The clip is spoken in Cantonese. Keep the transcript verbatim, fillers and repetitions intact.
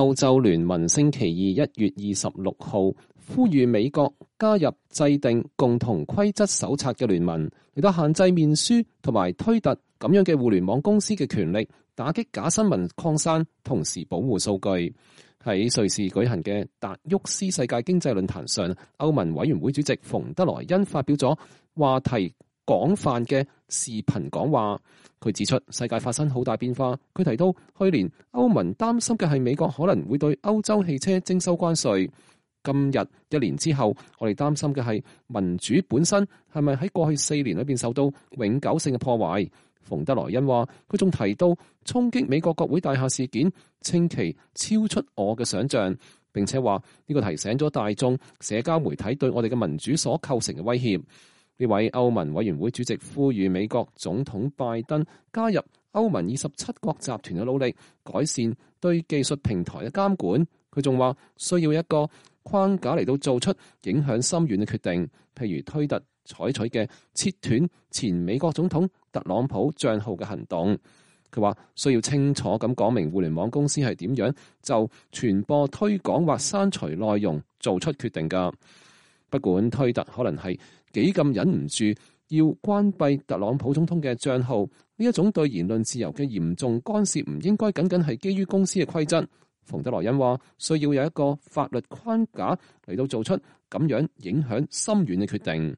歐洲聯盟星期二一月二十六號呼籲美國加入制定共同規則手冊嘅聯盟，嚟到限制面書同埋推特咁樣嘅互聯網公司嘅權力，打擊假新聞擴散，同時保護數據。喺瑞士舉行嘅達沃斯世界經濟論壇上，歐盟委員會主席馮德萊恩發表咗話題廣泛嘅視頻講話。佢指出世界發生好大變化。佢提到去年歐盟擔心嘅係美國可能會對歐洲汽車徵收關稅。今日一年之後，我哋擔心嘅係民主本身係咪喺過去四年裏邊受到永久性嘅破壞。馮德萊恩話，佢仲提到衝擊美國國會大廈事件，稱其超出我嘅想象，並且話呢個提醒咗大眾社交媒體對我哋嘅民主所構成嘅威脅。呢位歐盟委員會主席呼籲美國總統拜登加入歐盟二十七國集團嘅努力，改善對技術平台嘅監管。佢仲話需要一個框架嚟到做出影響深遠嘅決定，譬如推特採取嘅切斷前美國總統特朗普賬號嘅行動。佢話需要清楚咁講明互聯網公司係點樣就傳播、推廣或刪除內容做出決定㗎。不管推特可能係幾咁忍唔住要關閉特朗普總統嘅賬號，呢一種對言論自由嘅嚴重干涉唔應該僅僅係基於公司嘅規則。馮德萊恩話需要有一個法律框架嚟到做出咁樣影響深遠嘅決定。